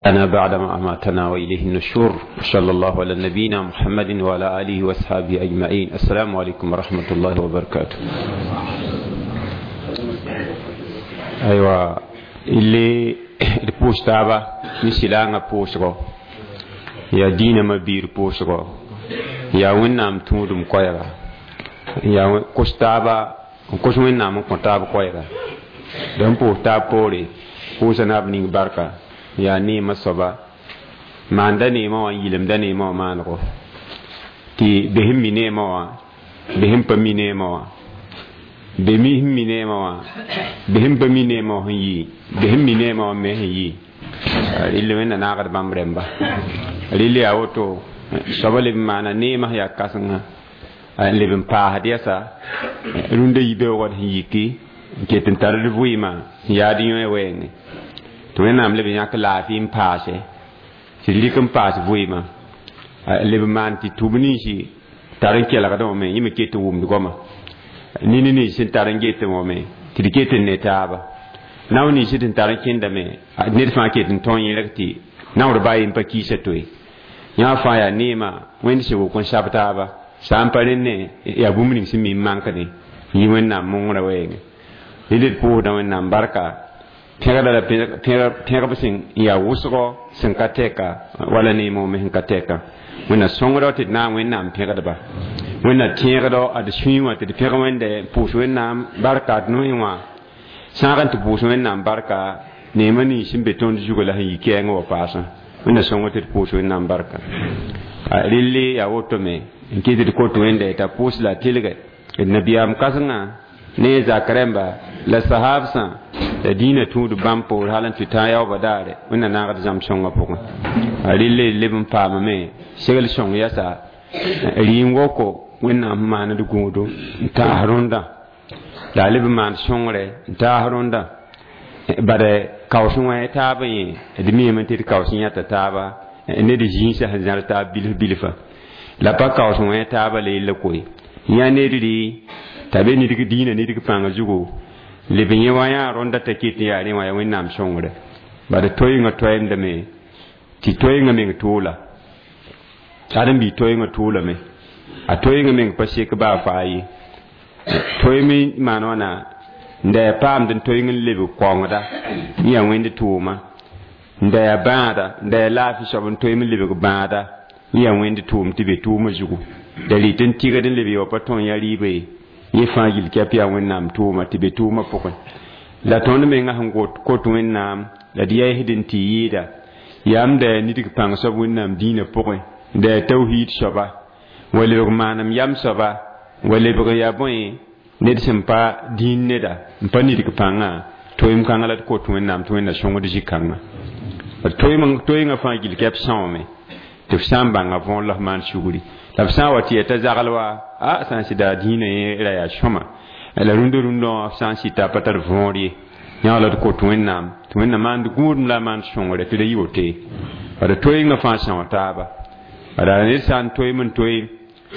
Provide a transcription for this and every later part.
أنا بعدما أماتنا وإليه النشور. صلى الله على نبينا محمد وعلى آله وأصحابه أجمعين. السلام عليكم ورحمة الله وبركاته. أيوة اللي البوش تابا نسلانا بوشغو يا دينا مبير بوشغو يا ونام تودم كويرا يا كوشتابا كوش ونام كوتاب كويرا دم بوش تاب بوري بوشنا بنين بركة yaa neemã soaba maanda neemã wã n yilemda neemã wã maanego tɩ be sẽn mi neemã wã be sẽn pa mi neemã wã be mi sẽn mi neemã wã be sẽn pa mi neemã wã sẽn yi be sẽn mi neemã wã me sẽn yi rɩl wẽnna naagd bãmb rẽmba rɩl yaa woto soaba leb n maana neemã sẽn yaa kãsengã n leb n paasd yɛsa rũndã yibeoogd sẽn yiki n ket n tar d vɩɩmã sẽn yaad yõe wɛɛngẽ tɩ wẽnnaam leb n yãk laafɩ n paase tɩ d rɩk n paas vɩɩmã leb n maan tɩ tʋb ninsi tar n kelgdẽ wã me yẽ me ket n wʋmd goama nini nins sẽn tar n getẽ wã me tɩ d ket n ne taaba nao nins sẽn tar n kẽndame ned fãa ket n tõe yẽlg tɩ naoor baa yen pa kiisa toe yã fãa yaa neemã wẽnd sẽn wok n sab taaba sã n pa rẽnd yaa bũmb ning sẽn mi n mankde yɩ wẽnnaam mongrã wɛɛngẽ rɩl d pʋʋsdã wẽnnaam barka pẽgda la pẽgb sẽn yaa wʋsgɔ sẽn ka tɛka wala neemã me sẽn ka tɛka wẽnna sõngdɔ tɩ d na n wẽnnaam pẽgdba wẽnna tẽegdɔ ad sũyẽ wã tɩ d pẽg wẽnde pʋʋs wẽnnaam barka d noẽ wã sãag n tɩ pʋʋs wẽnnaam barka neemã nins sẽn be tõnd zugã la sẽn yi kɛɛngã wa paasã wẽnna sõngd tɩ d pʋʋs wẽnnaam barka relle yaa woto me n kɩt d kot wẽnde t'a pʋʋs la tɩlgɛ d nabiyaam kãsengã ne zak rẽmba la sahabsã la dĩinã tũud bãmb poor hal n tɩ tã yaoobã daare wẽnna naagd zãmb sõngã pʋgẽ relle leb n paamame segl sõng yɛsa rɩɩn woko wẽnnaam sẽn maand gũudo n taas rõndã la a leb n maan sõngre n taas rõndã bad kaoos wã taab yẽ d miime tɩ d kaoos yãta taaba ned zĩisã sẽn zãr taab bilf bilfa la pa kaoos wã taaba la yella koe yã ned rɩ t'a be nidg dĩinã nidg pãng zugu leb yẽ wã yaa rõnda t'a ket n yaa rẽ wã yaa wẽnnaam sõngre bad toeengã toɛɛmdame tɩ toeengã meng toola ãdem-bi toeengã toolame a toeengã meng pa sek baa faa ye toeem maan wãna n da yaa paamd n toeeng n lebg kaongda n yaa wẽnd tʋʋma n da yaa bãada n da yaa laafɩ soab n toeem n lebg bãada n yaa wẽnd tʋʋm tɩ be tʋʋmã zugu da rɩt n tɩgd n leb ye wa pa tõe yã rɩɩba ye yẽ fãa yil kɛp yaa wẽnnaam tʋʋma tɩ be tʋʋmã pʋgẽ la tõnd mengã sẽn kot wẽnnaam la d yɛɛsd n tɩ yɩɩda yaam da yaa nidg pãng soab wẽnnaam dĩinã pʋgẽ da yaa tawhiid soaba wa lebg maanem yam soaba wa lebg yaa bõe ned sẽn pa dĩin neda n pa nidg pãngã toeem kãngã la d kot wẽnnaam tɩ wẽnna sõngd zĩ-kãngã toeengã fãa gil kɛp sãoome tɩ f sã n bãnga võor la f maan sugri la f sã n wa tɩ yaa t'a zagl wa a sã n sɩda dĩinã yẽ ra yaa sõma la rũndã rũndã wã f sã n sɩta pa tar võor ye yã la d kot wẽnnaam tɩ wẽnna maand gũudum la a maand sõngre tɩ da yɩ woto ye bala toeengã fãa são taaba bala ned sã n toeem n toe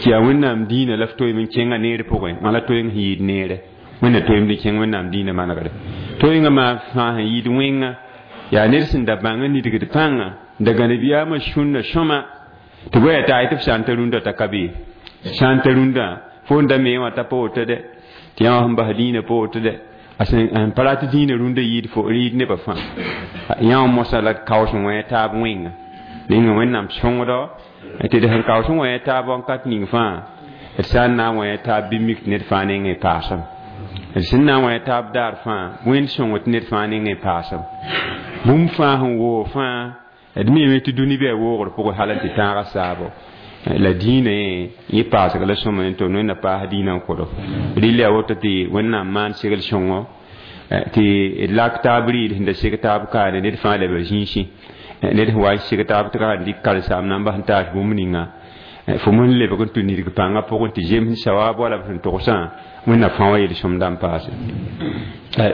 tɩ yaa wẽnnaam dĩinã la f toeem n kẽngã neer pʋgẽ wã la toeeng sẽn yɩɩd neere wẽnna toeemd n kẽng wẽnnaam dĩinã manegre toeengã maa fãa sẽn yɩɩd wẽnga yaa ned sẽn da bãng n nidgd pãnga n da gãneb yaamã sũnna sõma tɩ bõe yaa t'a tɩ f sã n ta rũndã t'a ka be sã n ta rũndã fo n da mee wã t'a pa woto dɛ tɩ yã wã sẽn bas dĩinã pa woto dɛ a sẽn pa rat dĩinã rũndã yɩɩd fo rɩɩd nebã fãa yã wã mosã la kaoos n wẽ taab wẽnga ninga wẽnnaam sõngdɔ tɩ d sẽn kaoos n wẽ taab wãnkat ning fãa d sã n na n wẽ taab bɩ mik tɩ ned fãa nengẽ paasem d sẽn na n wẽ taab daar fãa wẽnd sõng tɩ ned fãa nengẽ paasem bũmb fãa sẽn woog fãa d miime tɩ dũni bɩ a woogr pʋgẽ hal n tɩ tãagã saabo la dĩinã yẽ yẽ paasg la sõma tɩ wẽnna paas dĩinã n kʋdo rɩl yaa woto tɩ wẽnnaam maan segl sõngo tɩ d lak taab rɩɩd sẽn da seg taab kaane ned fãa leba zĩisẽ ned sẽn wa n seg taab tɩ ka dɩk karen-saam na n bas n taas bũmb ninga fo sẽn lebg n tũ nidg pãngã pʋgẽ tɩ zems sawaab wala b sẽn togsã wẽnna fãa wa yel-sõmda n paase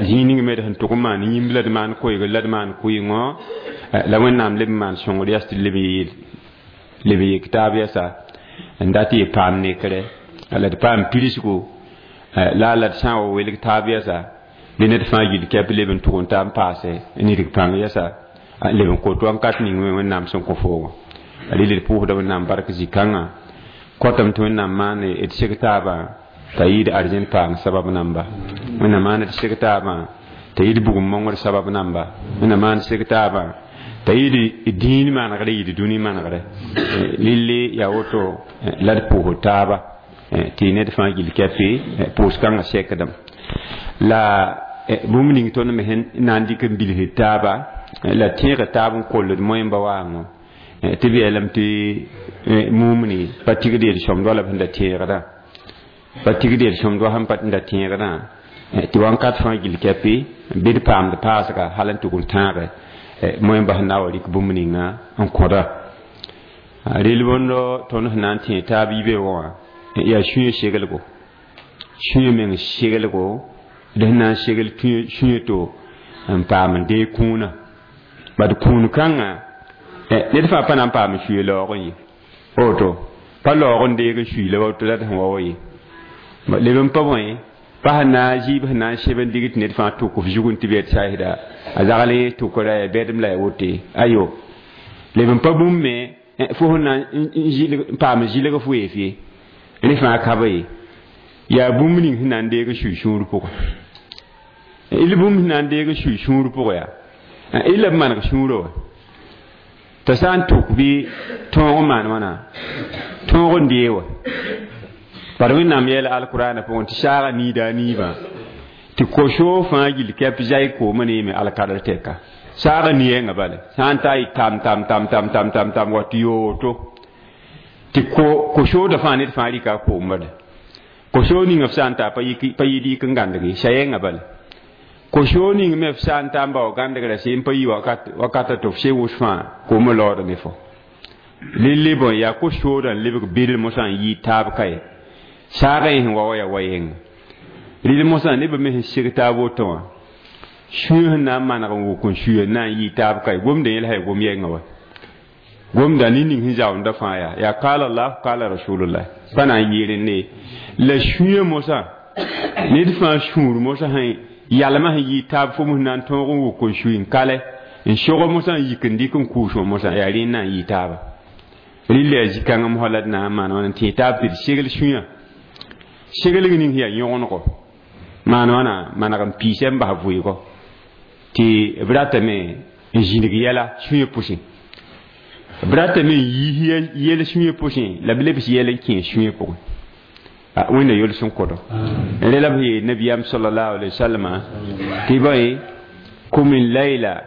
zĩig ning me d sẽn tʋg n maan yĩmb la d maan koeegr la d maan kʋɩngõ la wẽnnaam leb n maan sõngr yas tɩ leb n yeel leb n yek taab yɛsa n dat yɩ paam nekre la d paam pirsgo la la d sã n wa welg taab yɛsa bɩ ned fãa yil kɛp leb n tʋg n ta n paase nidg pãng yɛsa Leb n kot wãnkat ning me Wẽnnaam sẽn kõ foogo. Rɩl d pʋʋsda Wẽnnaam bark zĩ-kãngã. Kõtame tɩ Wẽnnaam maan d seg taabã t'a yɩɩd arzẽn paam sabab namba. Wẽnnaam maan d seg taabã t'a yɩɩd bugum mongr sabab namba. Wẽnnaam maan d seg taabã t'a yɩɩd dĩin manegre yɩɩd dũni manegre. Lilli yaa woto la d pʋʋsd taaba tɩ ned fãa gill kɛpɩ pʋʋs-kãngã sekdem. La bũmb ning tõnd me sẽn na n dɩk n bilsd taaba la tẽeg taab n koll d moẽmba waango tɩ b yeelame tɩ mumni pa tigd yel-sõmd wala b sẽn da tẽegdã, pa tigd yel-sõmd wa sẽn pa da tẽegdã, tɩ wãnkat fãa gill kɛpɩ bɩ d paamd paasga hal n tʋg n tãage moẽmba sẽn na wa rɩk bũmb ninga n kõda. Rel bõndo tõnd sẽn na n tẽ taab yibe wã yaa sũyã segelgo, sũyã meng segelgo d sẽn na n segl sũyã to n paam n deeg kũunã. Bad kũun kãngã ned fãa pa na n paam n suye laoog n ye, woto pa laoog n deeg n sui la woto la d sẽn wa wa ye. Leb n pa bõe pa sẽn na n zɩɩb sẽn na n seb n dig tɩ ned fãa tʋk f zug n tɩ b saasda a zagl tʋkra ya bɛdem la ya wote ayo. Leb n pa bũmb me fo sẽn na n paam zɩlg f weef ye, rẽ fãa ka ba ye. Yaa bũmb ning sẽn na n deeg n sui sũur pʋgẽ. Il bũmb sẽn na n deeg n sui sũur pʋgẽ yaa illa b maneg sũurã wa t'a sã n tʋk bɩ tõog n maan wãna tõog n dee wa. Bad Wẽnnaam yɛɛla alkurana pʋgẽ tɩ saaga niida a niibã tɩ ko-soog fãa gill kɛp zay koomã neeme alkadr tɛka. Saaga ni-yɛngã bala sã n ta yɩ tam tam tam tam tam tam tam wa tɩ yoo woto tɩ ko-soogda fãa ned fãa rɩka a koom bala. Ko-soog ning f sã n ta pa yɩ yik n gãndg sa-yɛngã bala. Ko-soog ning me f sã n ta n bao gãndgrã seen pa yi wakata tɩ f se wʋs fãa koomã laoodame ne fo. Lille bõe yaa ko-soodã n lebg bɩl mosã n yɩɩ taab ka ye. Saagã yẽ sẽn wa wa yaa wa yẽnga. Rɩl mosã nebã me sẽn seg taab woto wã sũyã sẽn na n maneg n wʋk n suya n na n yɩɩ taab ka ye. Gomdã yẽl sã ya gom yɛngã wa. Gomdã ne ning sẽn zaoonda fãa yaa yaa kaala Allah kaala Rasulullah pa na n yɩ rẽnde la sũyã mosã ned fãa sũur mosã sẽn yalmã sẽn yɩ taab fo mos na n tõog n wʋk n sui n kale n sog mosã n yik n dɩk n kʋʋs wã mosã yaa rẽnd na n yɩ taaba. Rɩlla yaa zĩ-kãngã mosã la d na n maan wãna n tẽ taab tɩ d segl sũyã. Seglg ning yaa yõgenego maan wãna maneg n piisa n bas vʋɩɩgɔ tɩ b ratame n zĩnig yɛla sũyã pʋsẽ, b ratame n yiis yɛl sũyã pʋsẽ la b lebs yɛl n kẽes sũyã pʋgẽ. Wẽnna yol sẽn kõdo. Rẽ la b yeel nabiyaam sallallahu alaihi wasallam tɩ bõe kum layla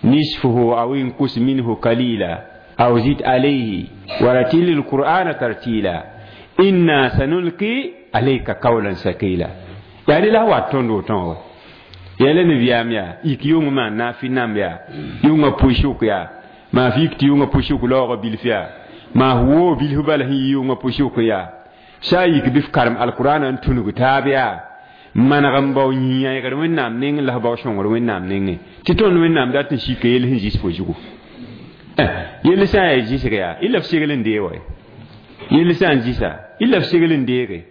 nisfuhu aw inkus minhu kalila aw zid alayhi wa ratil alqur'ana tartila inna sanulqi alayka qawlan sakila. Yaa rẽ la wat tõnd wotõ wa. Yɛla nabiyaam yaa yik yʋng maan naafi namb yaa yʋngã pʋɩsʋk yaa maa f yik tɩ yʋngã pʋɩsʋk laoogã bilf yaa maa f woo bilf bala sẽn yɩ yʋngã pʋɩsʋk yaa sã n yik bɩ f karem alkurana n tũnug taab yaa maneg n bao yĩyãegr Wẽnnaam nengẽ la f bao sõngr Wẽnnaam nengẽ tɩ tõnd Wẽnnaam dat n sika yell sẽn zis fo zugu. Yell sã n yaa zɩsg yaa illa f segl n dee wa, yell sã n zɩsa illa f segl n deege.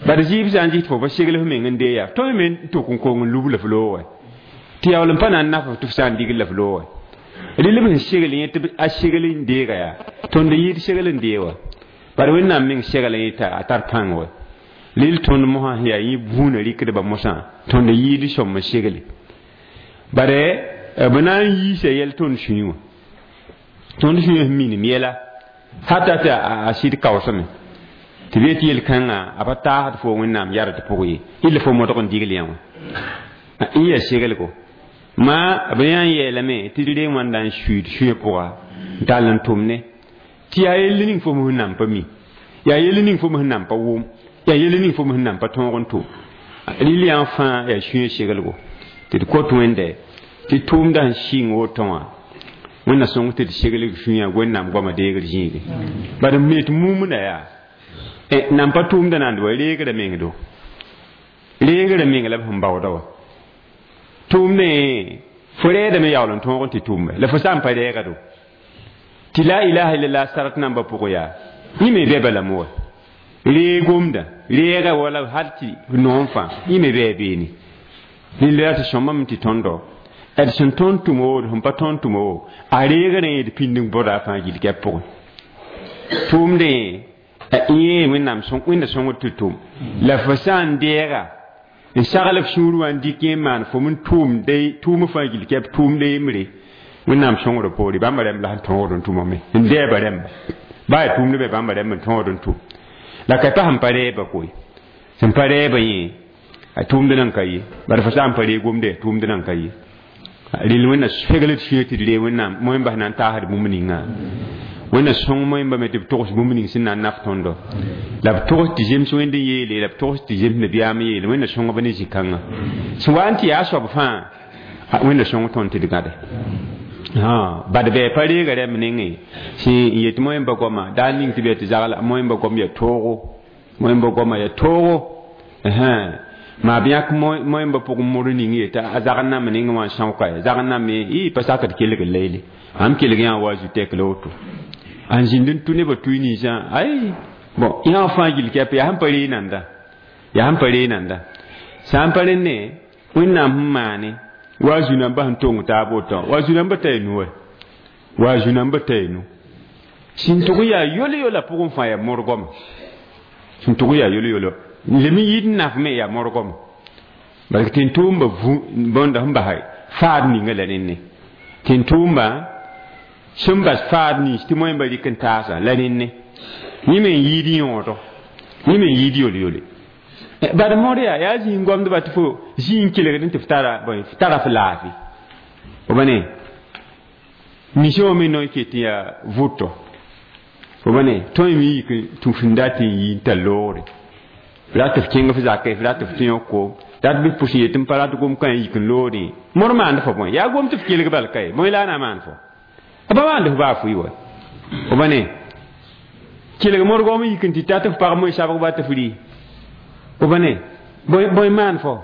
Bad zɩɩb sã n zɩs tɩ fo pa segl f meng n dee yaa tõe me n tʋk n kong n lub la f loog wa tɩ yaool n pa na n naf f tɩ f sã n digl la f loog wa. Rɩl b sẽn segl yẽ tɩ a segl n deega yaa tõnd yɩɩd segl n dee wa. Bad Wẽnnaam meng segl yẽ t'a tar pãng wa. Rɩl tõnd mosã sẽn yaa yẽ buunã rɩkdbã mosã tõnd yɩɩd sõm n segle. Bare b na n yiisa yɛl tõnd sũyẽ wã. Tõnd sũyã sẽn minim yɛla hata tɩ a sɩd kaoosame tɩ b yet yel-kãngã a pa taasd fo Wẽnnaam yard pʋgẽ ye illa fo modg n digl yã wã n yaa segelgo. Ma b yã n yeelame tɩ d reng wãnda n suiid sũyã pʋga n tall n tʋmne tɩ yaa yell ning fo sẽn nan pa mi, yaa yell ning fo sẽn nan pa wʋm, yaa yell ning fo sẽn nan pa tõog n tʋm. Rɩl yã fãa yaa sũyã segelgo tɩ d kot Wẽnde tɩ tʋʋmda sẽn sɩng woto wã Wẽnna sõng tɩ d seglg sũyã Wẽnnaam goamã deegr zĩige. Bad m me tɩ mumda yaa nan pa tʋʋmda nand wa reegrã meng do, reegrã meng la b sẽn baooda wa. Tʋʋmdẽ fo rɛɛdame yaool n tõog n tɩ tʋʋmbe la fo sã n pa rɛɛga do tɩ la ilaha illallah sarat nambã pʋgẽ yaa yẽ me bɛ balame wa. Reeg-gomdã reega wala hal tɩ noom fãa yẽ me bɩ a beene. Rɩla tɩ sõmame tɩ tõndo D sẽn tõnd tʋm woo d sẽn pa tõnd tʋm woo a reegrẽ d pĩnd n bõda a fãa gill kɛp pʋgẽ tʋʋmdẽ yẽ wẽnnaam wẽnda sõngd tɩ tʋm la fo sã n deega n sagl f sũur wã n dɩk yẽ n maan fo n tʋʋmde tʋʋm fãa gill kɛp tʋʋmde yembre wẽnnaam sõngd poore bãmba rãmb la sẽn tõogd n tʋmame n dɛɛba rãmba baa yaa tʋʋmd be bãmba rãmb n tõogd n tʋm la ka pa sẽn pa rɛɛba koe sẽn pa rɛɛba yẽ a tʋʋmd nan ka ye bara fo sã n pa ree gomde tʋʋmd nan ka ye rel wẽnna segl d sũyã tɩ d ree wẽnnaam moẽmba sẽn na n taasd bũmb ninga wẽnna sõng moẽmba me tɩ b togs bũmb ning sẽn na n naf tõndo la b togs tɩ zems wẽnd n yeele la b togs tɩ zems nabiyaam yeele wẽnna sõngb ne zĩ-kãngã sẽn wa n tɩ yaa soab fãa wẽnna sõng tõnd tɩ d gãde bad bɩ pa reega rãmb nengẽ sẽn yet moẽmba goama daar ning tɩ bɩ tɩ zagl moẽmba gom yaa toogo moẽmba goama yaa toogo maa b yãk moẽmba pʋgẽ mor ning yeta a zagl name nengẽ wã n sãoka ya zagl name y pa sakd kelg leele ãmb kelg yã wa zu tɛk la woto n zĩnd n tʋ nebã tʋɩ ninsã ay bon yã fãa gill kɛp yaa sẽn pa ree nanda yaa sẽn pa ree nanda sã n pa rẽnne wẽnnaam sẽn maane wa zu-nambã sẽn tong taab woto wa zu-nambã t'a nu wɛ wa zu-nambã t'a nu sẽn tʋg n yaa yol-yola pʋgẽ fãa yaa morgame sẽn tʋg n yaa yol-yolo lem n yɩɩd n naf me yaa morgame parce que tɩ-tʋʋmba bõnda sẽn basa faad ninga la nenne tɩ-tʋʋmba sẽn bas faad nins tɩ moẽmba rɩk n taasa la nenne yẽ me n yɩɩd yõodo yẽ me n yɩɩd yol-yole bad mõr yaa yaa zĩig goamdba tɩ fo zĩig n kelgd tɩ f tara f tara f laafɩ fo ba ne mission wã me no n ket n yaa vʋtɔ fo ba ne tõe me yik tũ fẽn dat n yi n tar loogre f rat f kẽng f zakɛ f rat f tũ yõk koom rat bɩ pʋs n yet n pa rat gom kã n yik n loodẽ mõr maand fo bõe yaa gom tɩ f kelg bal ka ye bõe la a na maan fo a ba maand f baa fʋɩ wa fo ba ne kelg mõr gom n yik n tɩ tat f pag moe sabg ba tɩ f rɩ fo ba ne bõe maan fo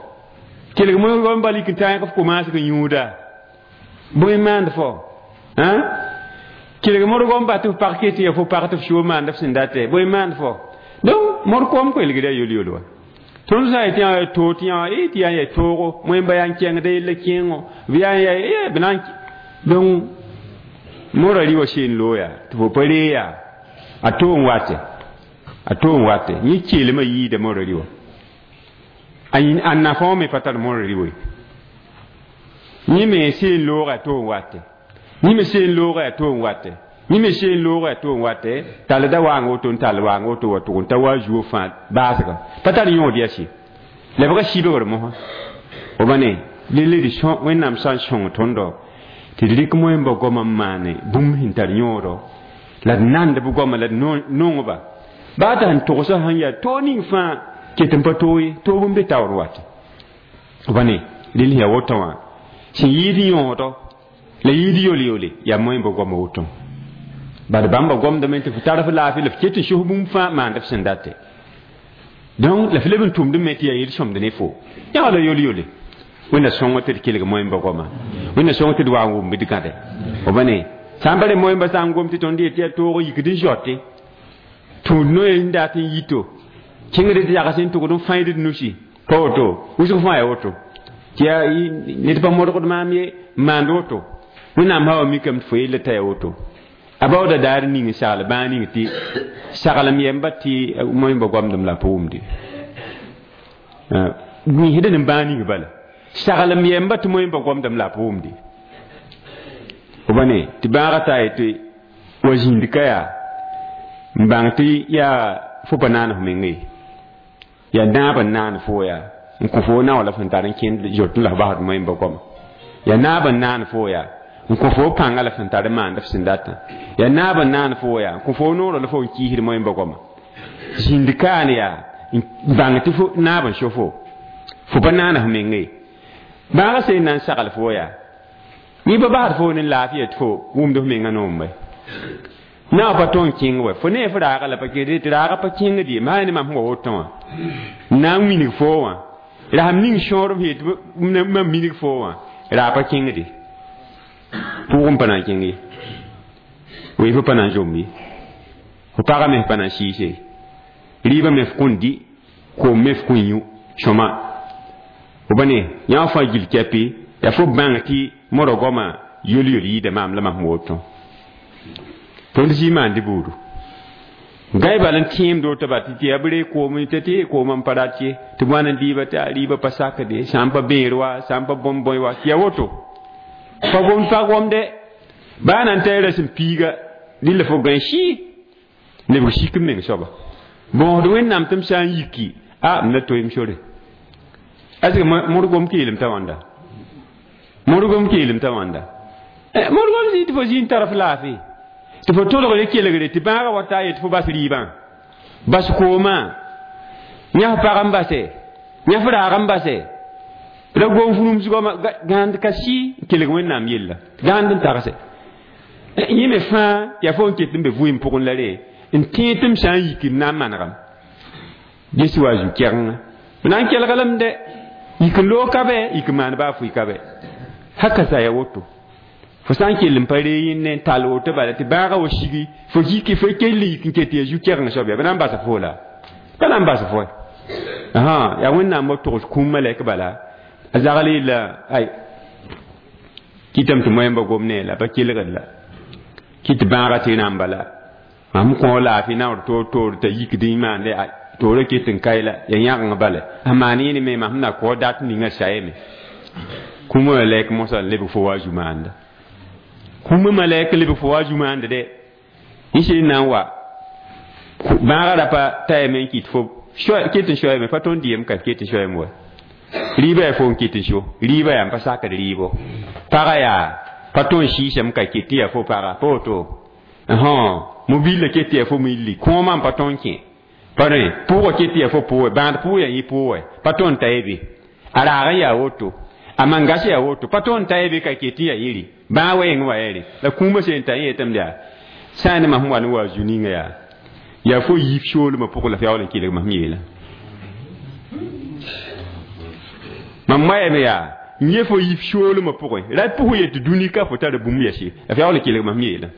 kelg mõr gom bal yik n tã f komaasg n yũuda bõe maand fo kelg mõr gom ba tɩ f pag ket ya fo pag tɩ f sʋʋ maand f sẽn date bõe maand fo donc mõr koom koelgda yol-yol wa tõnd sã n yã too tɩ yã tɩ yaa n yaa toogo moẽmba yaa n kẽngda yella kẽengo b yaa n yaa b na n donc mora rɩ wa seen looya tɩ fo pa ree yaa a too n wate a too n wate yẽ keelmã yiida mora rɩ wa a nafã wã me pa tar mora rɩ we yẽ me seen looga a too n wate yẽ me seen looga a too n wate yẽ me seen looga a too n wate tall da waang woto n tall waang woto wa tʋg n ta wa zuo fãa baasga pa tar yõod yaa sɩ lebga sibgr mosã fo ba ne lele d wẽnnaam sã n sõng tõndo tɩ d rɩk moẽmba goamã n maane bũmb sẽn tar yõodo la d nand b goama la d nongba baa t'a sẽn togsã sẽn yaa toog ning fãa ket n pa toog ye toog n be taoor wate fo ba ne rel yaa woto wã sẽn yɩɩd yõodo la yɩɩd yol-yole yaa moẽmba goamã woto bad bãmba gomdame tɩ f tar f laafɩ la f ket n sos bũmb fãa maand f sẽn date donc la f leb n tʋmd me tɩ yaa yel sõmd ne fo yã la yol-yole wẽnna sõng tɩ d kelg moẽmba goama wẽnna sõng tɩ d wa n wʋm d gãde fo ba ne sã n pa re moẽmba sã n gom tɩ tõnd yet tɩ yaa toog yikd n zote tũud noe n dat n yito kẽngd d yags n tʋgd n fãid d nusi pa woto wʋsg fãa yaa woto tɩ yaa ned pa modgd maam ye n maand woto wẽnnaam sã wa mikame tɩ fo yella t'a yaa woto a baooda daar ning n sagl bãag ning tɩ saglem yɛmba tɩ moẽmba goamdem la pa wʋmde wĩisd ne bãag ning bala saglem yɛmba tɩ moẽmba goamdem la pa wʋmde fo ba ne tɩ bãaga taa yetɩ wa zĩnd ka yaa n bãng tɩ yaa fo pa naan f meng ye yaa naab n naan fo yaa n kõ fo naoo la fõn tar n kẽnd zot n la f basd moẽmba goama yaa naab n naan fo yaa n kõ fo pãnga la fõn tar n maand f sẽn datã yaa naab n naan fo yaa n kõ fo noorã la fo n kiisd moẽmba goama zĩnd kaan yaa n bãng tɩ fo naab n so fo fo pa naan f meng ye bãagã sẽn na n sagl fo yaa yẽ pa basd fo ne laafɩ tɩ fo wʋmd f mengã noombe naao pa tõe n kẽng wa fo ne f raaga la pa kẽed tɩ raaga pa kẽngd ye maa ne mam sẽn wa woto wã n na n wilg foo wã la sẽn ning sõor f yet mam minig foo wã raa pa kẽngde pʋgẽ pa na n kẽng ye weefã pa na n zomb ye fo pagã me f pa na n sɩɩse rɩɩbã me f kõn dɩ koom me f kõn yũ sõma fo ba ne yã fãa gill kɛpɩ yaa fo bãng tɩ mora goama yol-yol yɩɩda maam la mam woto tõnd zĩ maan dɩ buudu gãe bal n tẽemd woto ba tɩ yaa b ree koom tɩ tɩ koom n pa rat ye tɩ b wa n dɩɩba tɩ a rɩɩba pa sakde sã n pa bẽer wa sã n pa bõmb bõe wa tɩ yaa woto pa gomd pa gomde baa na n ta ra sẽn piiga dɩlla fo gãe sɩ lebg sik n meng soaba bõosd wẽnnaam tɩ m sã n yiki a m la toeem sore est-ce que modgom keelem t'a wãnda modgom keelem t'a wãnda modgom zĩ tɩ fo zĩ n tar f laafɩ tɩ fo tolg ye kelgre tɩ bãagã wa taa ye tɩ fo bas rɩɩbã bas koomã yãf pag n base yãf raag n base ra gom furumsgɔma gãand ka sɩ n kelg wẽnnaam yella gãand n tagse yẽ me fãa yaa fo n ket n be vɩɩm pʋgẽ la re n tẽed tɩ m sã n yiki m na n manegame ges wa zu-kɛgenga b na n kelglem de yik n loog ka bɛ yik n maan baa fʋɩ ka bɛ haka sa ya woto fo sã n kell n pa ree yẽnne n tall woto bala tɩ bãagã wa sigi fo yiki fo kell yik n ket yaa zu-kɛgeng soab yaa b na n basa fo la pa na n bas fo yaa wẽnnaam wa togs kũum malɛk bala a zagl yella ay kɩtame tɩ moẽmba gom ne la pa kelgd la kɩ tɩ bãagã tɩ rãmba bala mam kõ laafɩ naoor toor toor t'a yikd n maande toorã ket n kae la ya yãgeng bala a maan yẽne me mam na kao dat ninga sayame kũumã malɛk mosã n lebg fo wa zu maanda kũumã malɛk lebg fo wa zu maanda dɛ yẽ sẽn na n wa bãagã rapa tayame n kɩt fo ket n soayame pa tõnd dɩyem ka ket n soayame wa rɩɩbã yaa fo n ket n so rɩɩbã yaa n pa sakd rɩɩbo pagã yaa pa tõnd sɩɩsame ka ket tɩ yaa fo paga pa woto mobile ket tɩ yaa fo milli kõomã n pa tõnd kẽ pa rẽ pʋʋgã ket tɩ yaa fo pʋʋgɛ bãad pʋʋg yaa yẽ pʋʋgɛ pa tõnd ta ye be a raag n yaa woto a mangas yaa woto pa tõnd ta ye be ka ket tɩ yaa yɩre bãag wa yẽng wa yɛre la kũumã sẽn ta yẽ yetame yaa sã n ne mam wa ne wa zu ninga yaa yaa fo yiib soolmã pʋgẽ la f yaool n kelg mam yeela mam moayame yaa n yẽ fo yiib soolmã pʋgẽ ra pʋg yet tɩ dũni ka fo tara bũmb yɛse la f yaool n kelg mam yeela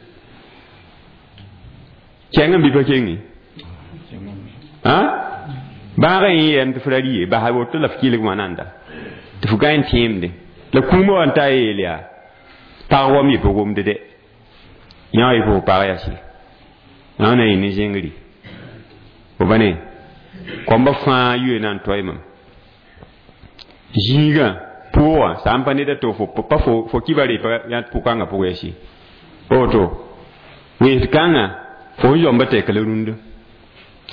kẽng n bɩ pa kenge bãagã yẽ yɛm tɩ f ra rɩ ye basa woto la f kelg wã nanda tɩ f gã n tẽemde la kũumã wa n ta yeel yaa pag wam ye pa gomde dɛ yã ye fo pag yase yã na yẽ ne zẽngri fo ba ne kõmba fãa yoe na n toa mam zĩigã pʋʋgã sã n pa ned a to fo pa fo kiba re pa yã pʋkãngã pʋgã yase pa woto wẽns kãngã fo sẽn zoamba tɛk la rũndã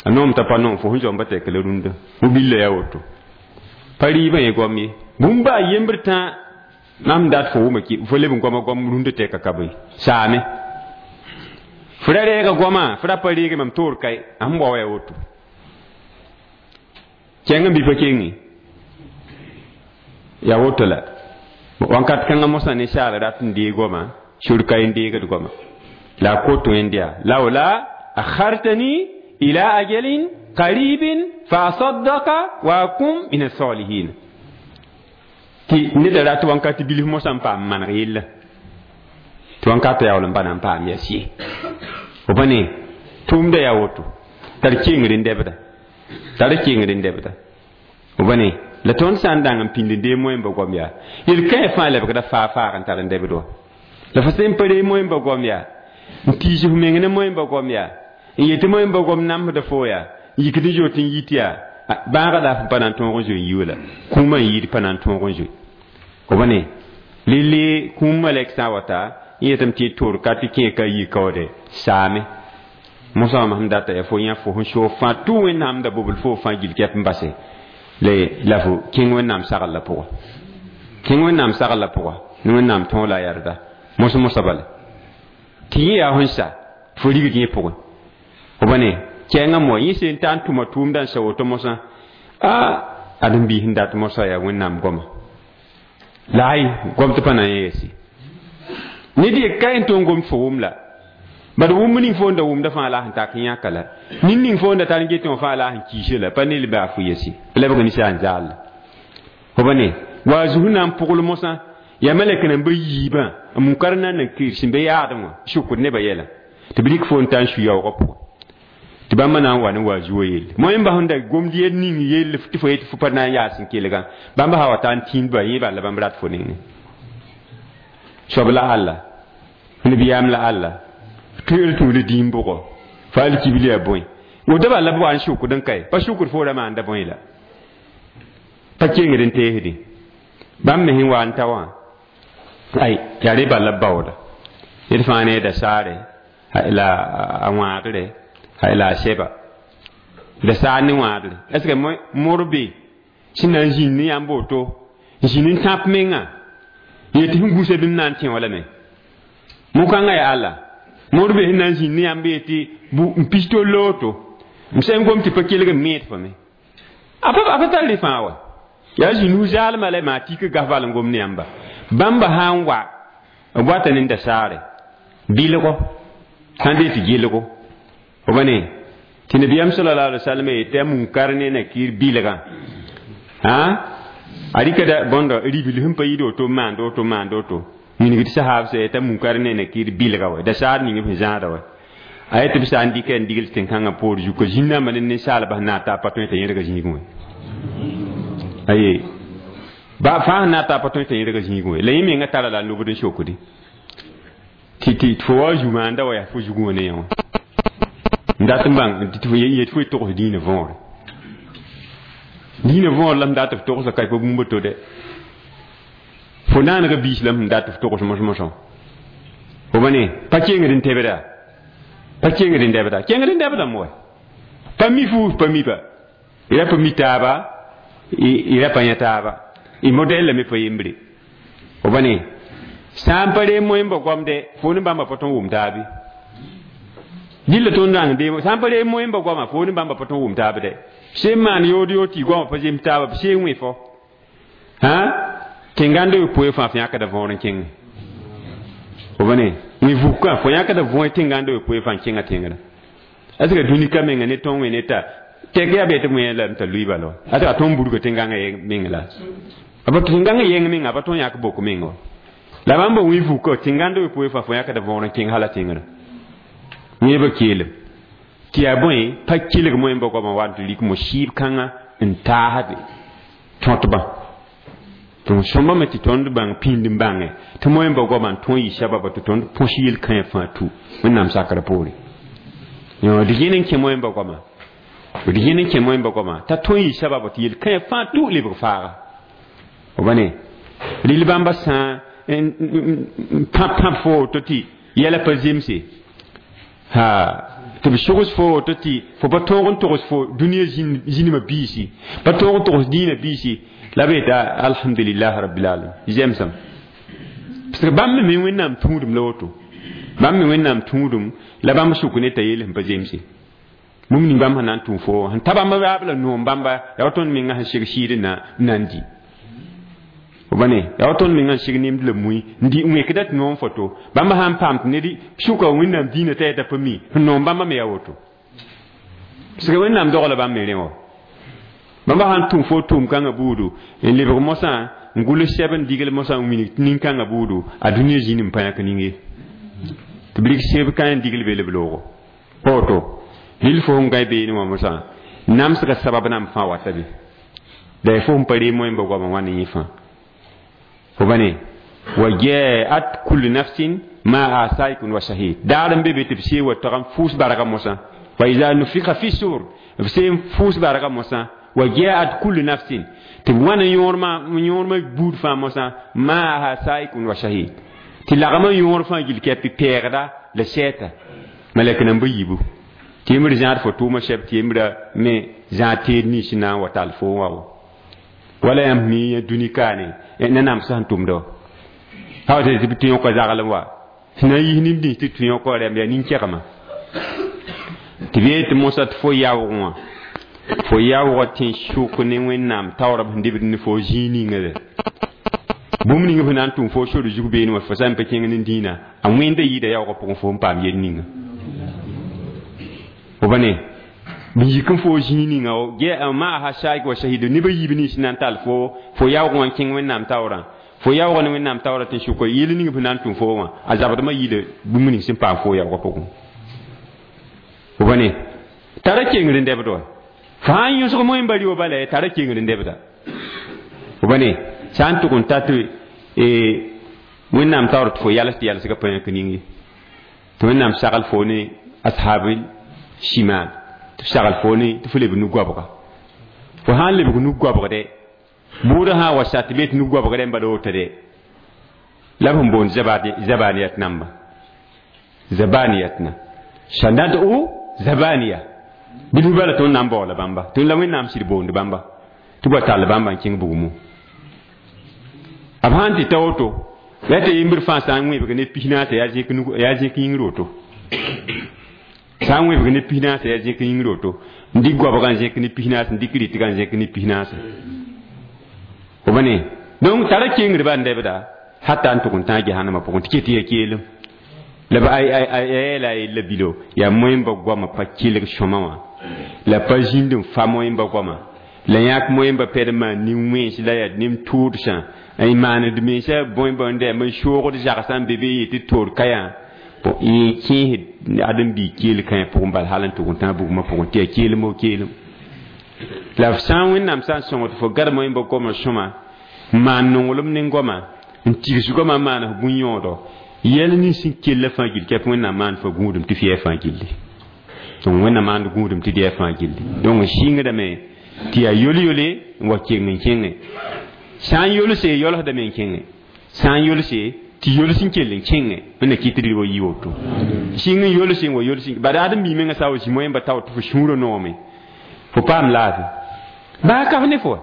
a noom t'a pa noom fo sẽn zoamba tɛk la rũndã mobilla yaa woto pa rɩɩbã yẽ goam ye bũmb a yembr tã mam dat fo wʋma fo leb n goama goam rũndã tɛka ka bõe saame fo ra reega goamã fo ra pa reege mam toor kae a sẽn bao yaa woto kẽng n bɩ pa kenge yaa woto la wãnkat kãngã mosã ninsaal rat n deeg goamã sor kae n deegd goamã la a kot wẽnd yaa laola akhartani ila ajalin qaribin fa asaddaka wa akum min asalihin tɩ neda rat wãnkat bilf mosã n paam maneg yella tɩ wãnkata yaool n pa na n paam yas ye fo pa ne tʋʋmda yaa woto tar kengr n dɛbda tar kengr n dɛbda fo pa ne la tõnd sã n dãng n pĩnd n dee moẽmba goam yaa yel-kãe fãa lebgda faa faag n tar n dɛbd wã la fo sẽn pa ree moẽmba goam yaa n tiis f meng ne moẽmba goam yaa n yetɩ moẽmba goam namsda fo yaa n yikd n zoet n yit yaa bãagã la f pa na n tõog n zoe n yi la kũumã n yɩɩd pa na n tõog n zoe fo pa ne lele kũum malɛk sã n wa ta n yetame tɩ toor ka tɩ kẽe ka yi kaoode saame mosã wã sẽn data yaa fo yã fo sẽn soog fãa tʋ wẽnnaam da bobl fo fãa gil kɛp n base la fo kẽng wẽnnaam sagl la pʋga kẽng wẽnnaam sagl la pʋga ne wẽnnaam tõog la a yarda mos mosã bala tɩ yẽ yaa sẽn sa fo rigd yẽ pʋgẽ fo pa ne kɛɛngã moa yẽ sẽn ta n tʋma tʋʋmdã n sa woto mosã a ad n biis n dat mosã yaa wẽnnaam goama la ay gom tɩ pa na n yɛɛse ned ye ka n tõog gomd fo wʋm la bad wʋmb ning fo n da wʋmda fãa la sẽn tak n yãka la nin ning fo n da tar n get wã fãa la sẽn kiise la pa ne baa fo yese lebg ninsaal n zaal la fo pa ne wa a zugu na n pʋgl mosã yaa malɛk nambã yiibã n munkar na n kir sẽn be yaadẽ wã sʋkd nebã yɛla tɩ b rɩk fo n ta n su yaoogã pʋgẽ tɩ bãmba na n wa ne wa zuo yelle moẽmba sẽn da gomd yel ning yell tɩ fo yetɩ fo pa na n yaas n kelgã bãmba sã wa ta n tĩnd ba yẽ bala bãmb rat fo nengẽ Soab la alla nabiyaam la alla tɩ tũud dĩim bʋgɔ fa alkibl yaa bõe woto bala b wa n sʋkd n kae pa sʋkd fo ra maanda bõe la pa kengd n teesdẽ bãmb me sẽn wa n ta wã ay yaa re bala b baooda ned fãa ne dasaare la a wãadre la a sɛba dasaar ne wãadre est ce que mor be sẽn na n zĩnd ne yãmb woto n zĩnd n tãp menga n yetɩ sẽn gũsa bĩm na n tẽ wã lame mo-kãngã yaa alla mor be sẽn na n zĩnd ne yãmb yetɩ n pis tol woto m sẽn gom tɩ pa kelg n meed fame a pa tar rẽ fãa wa yaa zĩnd zaalmã la maa tik gas bal n gom ne yãmba bãmba sã n wa b wata ne dasaare bilgo sãn dee tɩ gelgo f ba ne tɩ nabiyaam sallallahu alaihi wasallam yetɩ a munkar ne nakir bilgã a rɩka bõndo ribil sẽn pa yid woto maand woto maand woto wilg tɩ sahaab sã yetɩ a munkar ne nakir bilga wa dasaar ning b sẽn zãada wa a yetɩ b sã n dɩka n digl tẽn-kãngã poor zuka zĩn-dãmbã ne ninsaalbã sẽn na n taa pa tõe t'a yẽrga zĩigẽ wã aye ba fãa sẽn na n taa pa tõe t'a yẽrga zĩigẽ wã la yẽ menga tara la a lobd n sokdi tɩ tɩ fo wa zu-maanda wa yaa fo zugẽ wã ne yã wã n dat n bãng tɩ fo yet fo togs dĩinã võore dĩinã võor la m dat f togsa ka pa bũmb to dɛ fo naanega biis la m dat f togs mos-mosã fo ba ne pa kengd n tebda pa kengd n dɛbda kengd n dɛbdame wa pa mi fuus pa mi pa y ra pa mi taaba y ra pa yã taaba y modɛl lame pa yembre fo ba ne sã n pa reem moẽmba goamdɛ fo ne bãmba pa tõn wʋm taabe dɩlla tõnd rãng deem sã n pa reem moẽmba goama fo ne bãmba pa tõn wʋm taab dɛ sẽn maan yood yood tɩ goamã pa zems taaba b see wẽ fo tẽngãnd yopoe fãa fo yãkda võor n kẽngẽ fo ba ne wẽ vukã fo yãkda võe tẽngãnd yopoe fãa n kẽngã tẽngrã est ce que dũnika menga ne tõn wẽ ne ta tɛk yaa bee tɩ wẽ lame t'a lʋɩ bala wa a tɩ a tõn burga tẽngãngã meng la a pa tẽngãngã yẽng menga a pa tõn yãk bok meng wa la bãmba wẽ vukã tẽngãnd yopoe fãa fo yãkda võor n kẽng hala tẽngrã wẽebã keelem tɩ yaa bõe pa kelg moẽmba goamã wa n tɩ rik mo-sɩɩb kãngã n taasde tõtbã donc sõmbame tɩ tõnd bãng pĩnd n bãnge tɩ moẽmba goamã n tõe yɩ sababa tɩ tõnd põs yel-kãe fãa tu wẽnnaam sakrã poore d yẽn n kẽ moẽmba goamã d yẽn n kẽ moẽmba goamã t'a tõe yɩ sababa tɩ yel-kãe fãa tu lebg faaga f ba ne rɩl bãmba sã n pãb pãb fo woto tɩ yɛla pa zemse ha tɩ b sogs fo woto tɩ fo pa tõog n togs fo dũniyã zĩnimã biisi pa tõog n togs dĩinã biisi la b yeta alhamdulillah rabbil alamin zemsam parce que bãmb me wẽnnaam tũudum la woto bãmb me wẽnnaam tũudum la bãmb sʋk ne t'a yeel sẽn pa zemse bũmb ning bãmb sẽn na n tũu fo sẽn ta bãmb raab la noom bãmba yaa wa tõnd menga sẽn seg sɩɩd n na n di f ba ne yaa wa tõnd menga n seg nemd la mui n di n wẽkda tɩ noom foto bãmb sã n paam tɩ ned sʋka wẽnnaam dĩinã t'a yeta pa mi sẽn noom bãmba me yaa woto parce que wẽnnaam dogla bãmb me rẽ wã bãmba sã n tũm fo tʋʋm kãngã buudu n lebg mosã n gʋls sɛb n digl mosã n wilg nin-kãngã buudu a dũniyã zĩnd n pa yãk ning ye tɩ b rɩk seb kã n digl be la b loogo pa woto rɩl fo sẽn gãe beene wã mosã namsga sabab nan fãa wata be la ya fo sẽn pa reem moẽmba goamã wã ne yẽ fãa fo ba ne wa jaat kullu nafsin maa saikun wa shahid daar n be be tɩ b see wa tag n fuus barga mosã wa iza nufika fi sur b see n fuus barga mosã wa jaat kullu nafsin tɩ b wãna yõormã buud fãa mosã maaha saikun wa shahid tɩ lagmã yõor fãa gil kɛpɩ pɛɛgda la sɛɛta malɛk namba yiibu tɩ yembr zãad fo tʋʋmã sɛb tɩ yembrã me zãad teed nins na n wa tall fo n wa wa wala yãmb mi yã dũni kaane nanam sẽn tʋmda wa pa tɩ tɩ yõka zaglem wa sẽn na n yis nin nins tɩ tɩ yõka rɛm yaa nin-kɛgmã tɩ b yeel tɩ mosã tɩ fo yaoog wã fo yaoogã tẽ sʋk ne wẽnnaam taoorb sẽn dɩbd ne fo zĩig ninga de bũmb ning f na n tʋm fo sor zug beene wã fo sã n pa kẽng ne dĩinã a wẽnda yɩɩda yaoogã pʋgẽ fo n paam yel ninga fo ba ne b yik n fo zĩig ninga maaha saik wa shahid nebã yiib nins na n tall fo fo yaoog wã n kẽng wẽnnaam taoorã fo yaoogã ne wẽnnaam taoorã tɩ sʋka yel ning f na n tʋm fo wã a zabdmã yɩɩda bũmb ning sẽn paam fo yaoogã pʋgẽ fo ba ne tara kengr n dɛbd wa fo sã n yõsg moẽmba rɩ bala tara kengr n dɛbda fo ba ne sã n tʋg n ta tɩ Wẽnnaam taoor tɩ fo yals tɩ yalsgã pa yãk ning ye tɩ Wẽnnaam sagl fo ne ashabil shimal tɩ sagl fo ne tɩ fo lebg nu-goabga fo sã n lebg nu-goabgdɛ bʋʋdã sã n wa sa tɩ be tɩ nu-goabg rẽmba la woto dɛ la b sẽn boond zabaniyat namba zabaniyatna sanad'u zabaniya bilfu bala tõnd na n baoola bãmba tõnd la Wẽnnaam sɩd boond bãmba tɩ ba tall bãmba n kẽng bugmũ b sãn tɩ ta woto la tɩ yembr fãa sã n wẽbg ne 14 yaa zẽk yĩngr woto sã n wẽbg ne 14 yaa zẽk yĩngr woto n dɩk goabgã n zẽk ne 14 n dɩk rɩtgã n zẽk ne 14 fo ba ne donc tara kengr ban dɛbda hata n tʋg n tãag jahannamã pʋgẽ tɩ ket ya keelem la a yeela a yella bilo yaa moẽmba goamã pa kelg sõma wã la pa zĩnd n fa moẽmba goamã la yãk moẽmba pɛd n maan nin-wẽns la yaa nem-tʋʋdsã n maand mensã bõe bõe n soogd zagsã n be be yetɩ toor ka yã yẽ kẽesd ãdem-biig keel kãe pʋgẽ bal hal n tʋg n tãag bugmã pʋgẽ tɩ yaa keelem o keelem la sã n Wẽnnaam sã n sõng tɩ fo gad moẽmba goamã sõma n maan nonglem ne goamã n tigs goamã n maan f bũn-yõodo yɛl nins sẽn kella fãa gill kɛp Wẽnnaam maan fo gũudum tɩ f yɛɛ fãa gilli donc Wẽnnaam maand gũudum tɩ d yɛɛ fãa gilli donc n sɩngdame tɩ yaa yol-yole n wa keng n kẽngẽ sã n yolse yolsdame n kẽngẽ sã n yolse tɩ yols n kell n kẽngẽ Wẽnna kɩt rɩ wa yi woto sɩng n yolse n wa yols bad ãdem-bi mengã sã wa zĩ moẽmba tao tɩ fo sũurã noome fo paam laafɩ baa ka f ne fo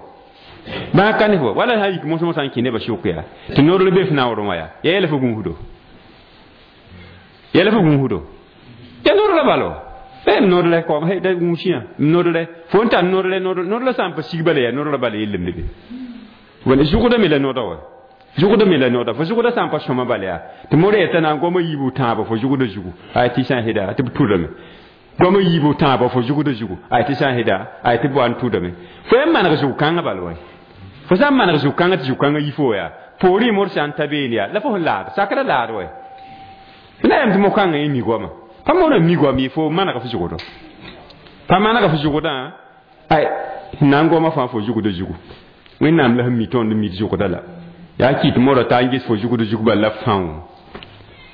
baa ka ne fo wala sã yik mosmosã n kẽ nebã sʋk yaa tɩ noor be f naoorẽ wã yaa yɛɛla fo gũusdo yɛla fo gũusdo ya noor la balo m noor la kom da gũusiyã m noor la fo n tar noor la noor la sã n pa sig bala yaa noor la bala yellemde be wala zʋgda me la nooda wa zʋgda me la nooda fo zʋgda sã n pa sõma bala yaa tɩ mora yeta na n goama yiibu tãabã fo zʋgda zugu ay tɩ sã n heda tɩ b tʋdame goama yiibu tãabã fo zʋgda zugu ay tɩ sã n heda ay tɩ b wa n tʋdame fo yã maneg zʋg-kãngã bal wa fo sã n maneg zʋg-kãngã tɩ zʋg-kãngã yi fo yaa poorẽ mor sã n ta beene yaa la fo sẽn laad sakra laad wa na yam tɩ mo-kãngã yẽ mi goama pa moorã mi goam ye fo manega fo zʋgdɔ pa manega fo zʋgdã ay na n goamã fãa fo zʋgda zugu Wẽnnaam la sẽn mi tõnd mi zʋgda la yaa kɩt mora t'a n ges fo zʋgd zug bal la fão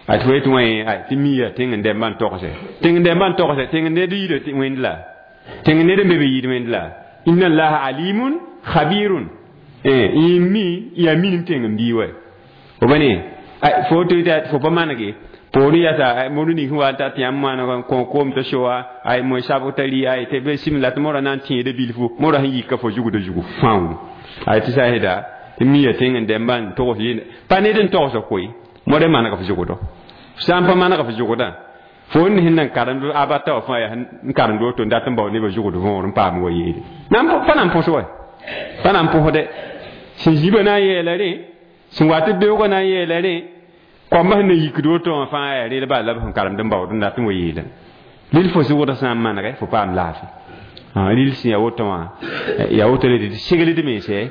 a tɩ fo yetɩ wã tɩ mi yaa tẽng n dɛmbã n togse tẽng n dɛmbã n togse tẽng ned yida wẽnd la tẽng ned n be be yid wẽnd la inna allaha alimun khabirun y mi yaa minim tẽng n bii wa fo ba ne fo tɩ fo pa manege poorẽ yasa mor ning sẽn wa n ta tɩ yãmb maaneg n kõ koom t'a soa ay moe sabg t'a rɩ ay tɩ be sɩm la tɩ mora na n tẽeda bilfu mora sẽn yika fo zugda zugu fão ay tɩ sã n heda tɩ mi yaa tẽng n dɛmbã n togs yel pa ned n togsg koe modẽ maneg f zugdo sã n pa maneg f zugdã fo n sẽn na n karemd abata wã fãa yaa n karemd woto n dat n bao nebã zugd võor n paam wa yeele pa na n põs wa pa na n põsdɛ sẽn zibã na n yeela rẽ sẽn wa tɩ beoogã na n yeela rẽ koambã sẽn na yikd woto wã fãa yaa reel bala la b sẽn karemd n baood n dat n wa yeelã rɩl fo zʋgdã sã n manegɛ fo paam laafɩ rɩl sẽn yaa woto wã yaa woto le tɩ segld mensɛ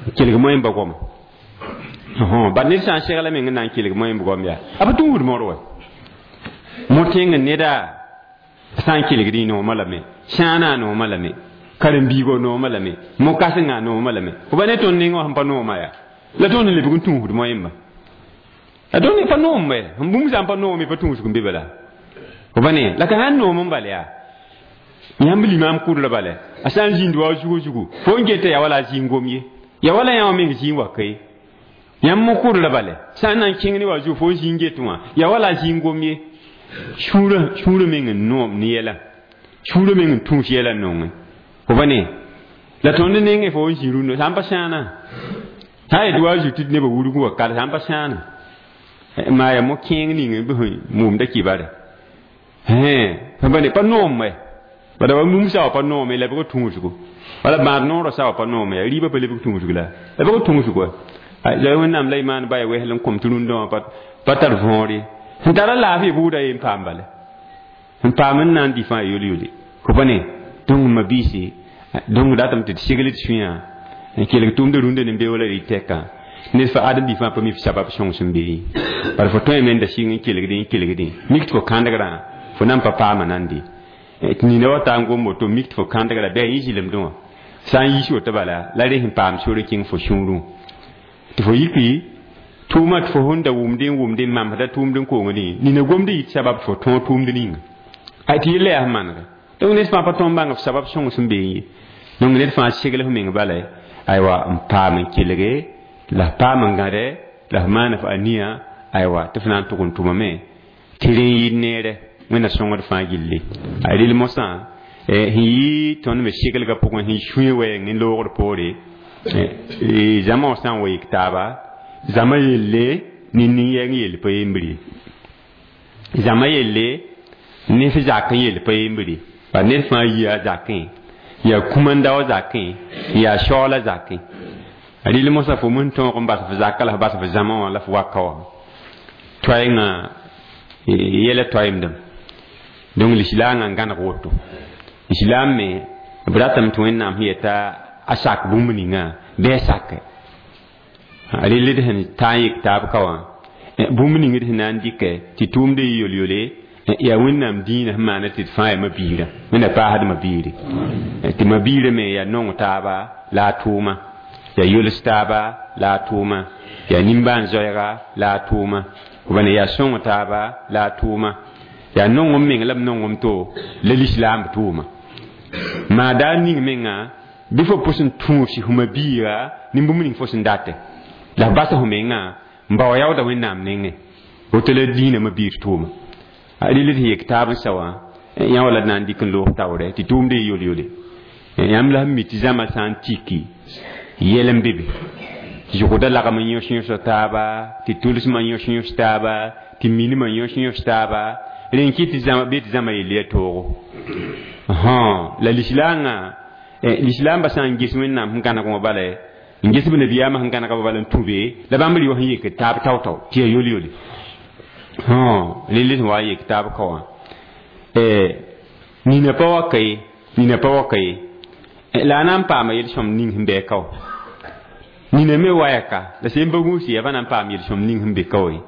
n kelg moẽmba goama bad ned sã n segla meng n na n kelg moẽmb goam yaa a pa tũud mor wa mo tẽng neda sã n kelgd y noomã lame sãanã noomã lame karen-biigã noomã lame mo-kãsengã noomã lame fo ba ne tõnd nengã wã sẽn pa nooma yaa la tõnd n lebg n tũusd moẽmba la tõnd pa noom bɛ n bũmb sã n pa noome pa tũusg n be bala fo ba ne la ka sã n noom n bal yaa yãmb limaam kʋdra bala a sã n zĩnd wa zugu zugu fo n geta yaa wala a zĩig gom ye yaa wala yã wã meng zĩig wa ka ye yãmb mo kʋdra bala sã n na n kẽng ne wa zugu fo n zĩig get wã yaa wala a zĩig gom ye sũurã meng n noom ne yɛla sũurã meng n tũus yɛla n nongẽ fo ba ne la tõnd nengẽ fo n zĩ rũndã sã n pa sãana sã n yet wa zu tɩ nebã wurg wa kal sã n pa sãana maa yaa mo-kẽeng ning bɩ sẽn mumda kibare pa ne pa noom wɛ bala wa mum sã wa pa noome la bg tũusgo wala bãad noorã sã wa pa noome yaa rɩɩbã pa lebg tũusg la la bg tũusg wa la Wẽnnaam la y maan baya wesl n kom tɩ rũndã wã pa tar võor ye sẽn tara laafɩ buudã ye n paam bala n paam n na n dɩ fãa yol-yole fo pa ne donc ma biisi donc datame tɩ d segl d sũyã n kelg tʋʋmdã rũndã ne beoola rɩ tɛkã ned fa ãdem-bi fãa pa mi f sabab sõng sẽn be ye bara fo tõe me n da sɩng n kelgdẽ n kelgdẽ mik tɩ fo kãndgrã fo na n pa paama nande tɩ nina wa taa n gom woto mik tɩ fo kãndgrã bɩ a yẽ zɩlemdẽ wã sã n yiis woto bala la rẽ sẽn paam sor n kẽng fo sũurẽ tɩ fo yiki Tʋʋma tɩ fo sẽn da wʋmdẽ n wʋmdẽ n mamsda tʋʋmd n kongdẽ nina gomd yit sabab tɩ fo tõog tʋʋmd ninga a tɩ yella yaa sẽn manege donc ned fãa pa tõog n bãng f sabab sõng sẽn beẽ ye donc ned fãa segl f meng bala aywa n paam n kelge la f paam n gãde la f maan f aniya aywa tɩ f na n tʋg n tʋmame tɩ rẽ n yɩɩd neere wẽnna sõngd fãa gilli a rel mosã sẽn yɩ tõnd me seglgã pʋgẽ sẽn sũe wɛɛng n loogd poore zãma wã sã n wa yik taaba zãma yelle ne nin-yɛng yell pa yembre ye zãma yelle ne f zakẽ yell pa yembre ba ned fãa yia zakẽ yaa kũmã-daoã zakẽ yaa shaoola zakẽ rɩl mosã fo mosẽ tõog n bas f zaka la f bas f zãma wã la f waka wã toaengã yɛla toaemdem donc lislaangã n gãneg woto islam me b ratame tɩ wẽnnaam sẽn yeta a sak bũmb ninga bɩ a sake rel d sẽn taa n yik taab ka wã bũmb ning d sẽn na n dɩkɛ tɩ tʋʋmd yɩ yol-yole yaa wẽnnaam dĩinã sẽn maana tɩ d fãa yaa mabiirã wẽnna paasd mabiiri tɩ mabiirã me yaa nong taaba la a tʋʋma yaa yols taaba la a tʋʋma yaa nimbãan-zoɛɛga la a tʋʋma b yaa sõng taaba la a tʋʋma yaa nongem meng la b nongem to la lislaamb tʋʋma maa daa ning menga bɩ fo pʋs n tũus f mabiiga ne bũmb ning fo sẽn date la f basa fo menga n bao yaooda wẽnnaam nengẽ woto la dĩinã mabiir tʋʋma a rel tɩ yek taab n sa wã yã wala d na n dɩk n loog taoorɛ tɩ tʋʋmd yɩ yol-yole yãmb la sẽn mi tɩ zãma sã n tiki yɛl n be be zʋgda lagm n yõs yõs taaba tɩ tʋlsmã yõs yõs taaba tɩ minimã yõs yõs taaba rẽ n kɩ tɩ zãma bɩ tɩ zãma yell ya toogo la lislaangã lislaambã sã n ges wẽnnaam sẽn gãneg wã bala n ges b nabiyaamã sẽn gãnega bala n tũ be la bãmb rɩ wã sẽn yek taab tao-tao tɩ ya yol-yole rel sẽn wa n yek taab ka wã nina pa wa ka ye nina pa wa ka ye la a na n paama yel-sõm ning sẽn bɩ ka wã nina me waya ka la sẽn pa gũusi yaa pa na n paam yel-sõm ning sẽn be ka wã ye